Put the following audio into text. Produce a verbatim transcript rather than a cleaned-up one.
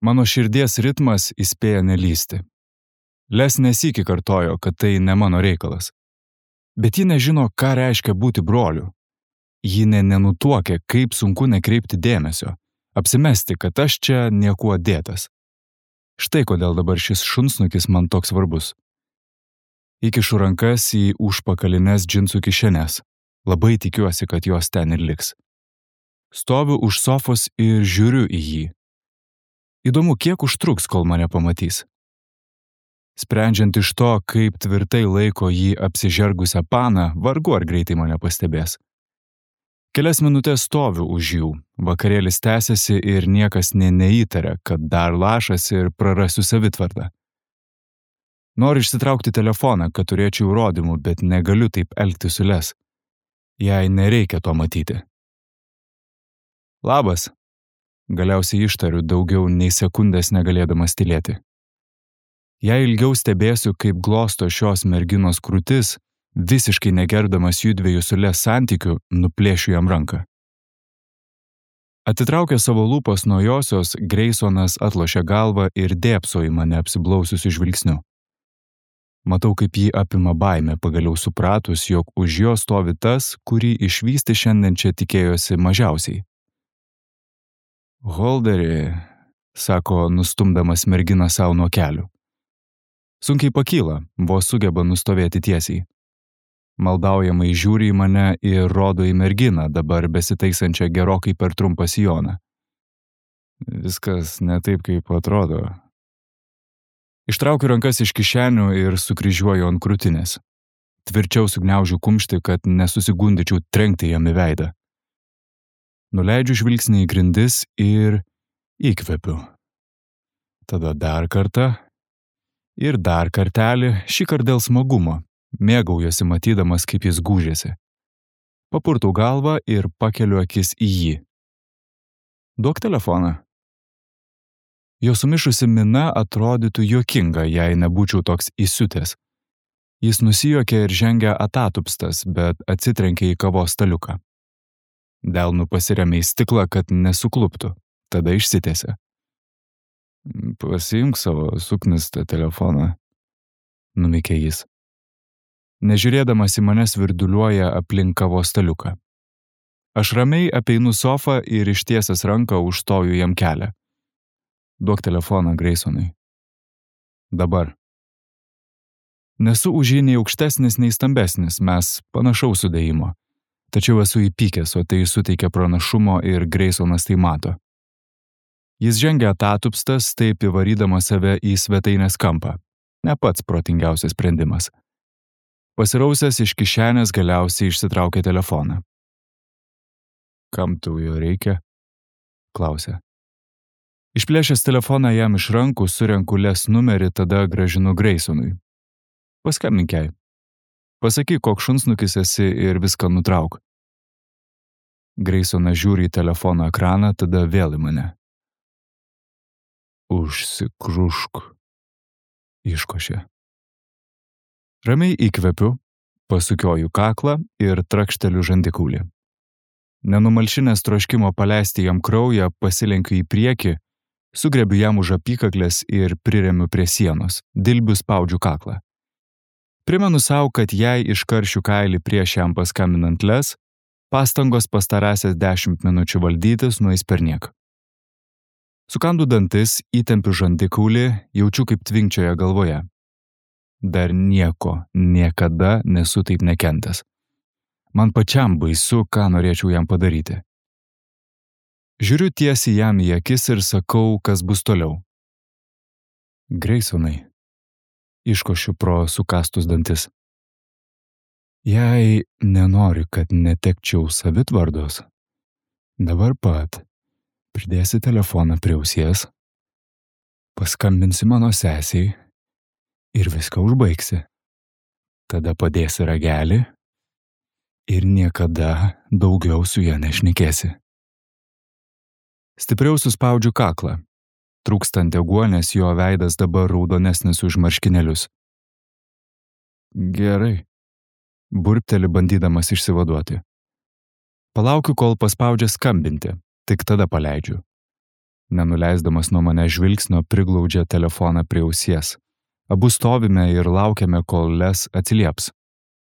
Mano širdies ritmas įspėja nelysti. Les nesykį kartojo, kad tai ne mano reikalas. Bet ji nežino, ką reiškia būti broliu. Ji ne nenutuokė, kaip sunku nekreipti dėmesio, apsimesti, kad aš čia niekuo dėtas. Štai kodėl dabar šis šunsnukis man toks svarbus. Įkišu rankas į užpakalines džinsų kišenes. Labai tikiuosi, kad jos ten ir liks. Stoviu už sofos ir žiūriu į jį. Įdomu, kiek užtruks, kol mane pamatys. Sprendžiant iš to, kaip tvirtai laiko jį apsižergusią paną, vargu ar greitai mane pastebės. Kelias minutės stoviu už jų, vakarėlis tęsiasi ir niekas nė neįtaria, kad dar lašas ir prarasiu savitvardą. Noriu išsitraukti telefoną, kad turėčiau įrodymų, bet negaliu taip elgtis su Les. Jai nereikia to matyti. Labas. Galiausiai ištariu daugiau nei sekundės negalėdamas tylėti. Jei ilgiau stebėsiu, kaip glosto šios merginos krūtis, visiškai negerdamas jųdviejų su Les santykių, nuplėšiu jam ranką. Atitraukė savo lūpas nuo josios, Graysonas atlošė galvą ir dėbso į mane apsiblausiusiu žvilgsniu. Matau, kaip jį apima baimė, pagaliau supratus, jog už jo stovi tas, kurį išvysti šiandien čia tikėjosi mažiausiai. Holderi, sako, nustumdamas merginą savo nuo kelių. Sunkiai pakyla, vos sugeba nustovėti tiesiai. Maldaujamai žiūri į mane ir rodo į merginą, dabar besitaisančią gerokai per trumpą sijoną. Viskas ne taip, kaip atrodo. Ištraukiu rankas iš kišenių ir sukryžiuoju ant krūtinės. Tvirčiau sugniaužiu kumštį, kad nesusigundyčiau trenkti jam į veidą. Nuleidžiu žvilgsnį į grindis ir įkvepiu. Tada dar kartą ir dar kartelį, šį kartą dėl smagumo. Mėgaujuosi matydamas, kaip jis gūžėsi. Papurtau galvą ir pakeliu akis į jį. Duok telefoną. Jo sumišusi mina atrodytų juokinga, jei nebūčiau toks įsiutęs. Jis nusijuokė ir žengė atatupstas, bet atsitrenkė į kavos staliuką. Delnu pasiremė į stiklą, kad nesukluptų, tada išsitėsė. Pasiimk savo suknistą telefoną, numykė jis. Nežiūrėdamas į mane svirduliuoja aplink kavos staliuką. Aš ramiai apeinu sofą ir ištiesęs ranką užstoju jam kelią. Duok telefoną Graysonui. Dabar. Nesu už jį nei aukštesnis, nei stambesnis, mes panašaus sudėjimo. Tačiau esu įpykęs, o tai suteikia pranašumo ir Graysonas tai mato. Jis žengia atatupstas, taip įvarydamas save į svetainės kampą. Ne pats protingiausias sprendimas. Pasirausęs iš kišenės galiausiai išsitraukė telefoną. Kam tau jo reikia? Klausė. Išplėšęs telefoną jam iš rankų, surenku Les numerį, tada grąžinu Graysonui. Paskambink jai. Pasakyk, koks šunsnukis esi ir viską nutrauk. Graysonas žiūri į telefono ekraną, tada vėl į mane. Užsikrušk, iškošė. Ramiai įkvepiu, pasukioju kaklą ir trakšteliu žandikaulį. Nenumalšinęs troškimo paleisti jam kraują, pasilenkiu į priekį, sugrebiu jam už apykaklės ir priremiu prie sienos, dilbiu spaudžiu kaklą. Primenu savo, kad jei iškaršiu kailį prieš jam paskambinant Les, pastangos pastarąsias dešimt minučių valdytis nueis perniek. Sukandu dantis, įtempiu žandikaulį, jaučiu kaip tvinkčioja galvoje. Dar nieko, niekada nesu taip nekentęs. Man pačiam baisu, ką norėčiau jam padaryti. Žiūriu tiesiai jam į akis ir sakau, kas bus toliau. Graysonai, iškošiu pro sukastus dantis. Jei nenori, kad netekčiau savitvardos, dabar pat pridėsi telefoną prie ausies, paskambinsi mano sesiai ir viską užbaigsi. Tada padėsi ragelį ir niekada daugiau su ja nešnekėsi. Stipriau suspaudžiu kaklą. Trūkstant deguonies, jo veidas dabar raudonesnis už marškinėlius. Gerai. Burpteli bandydamas išsivaduoti. Palaukiu, kol paspaudžia skambinti, tik tada paleidžiu. Nenuleisdamas nuo mane žvilgsnio priglaudžia telefoną prie ausies. Abu stovime ir laukiame, kol Les atsilieps.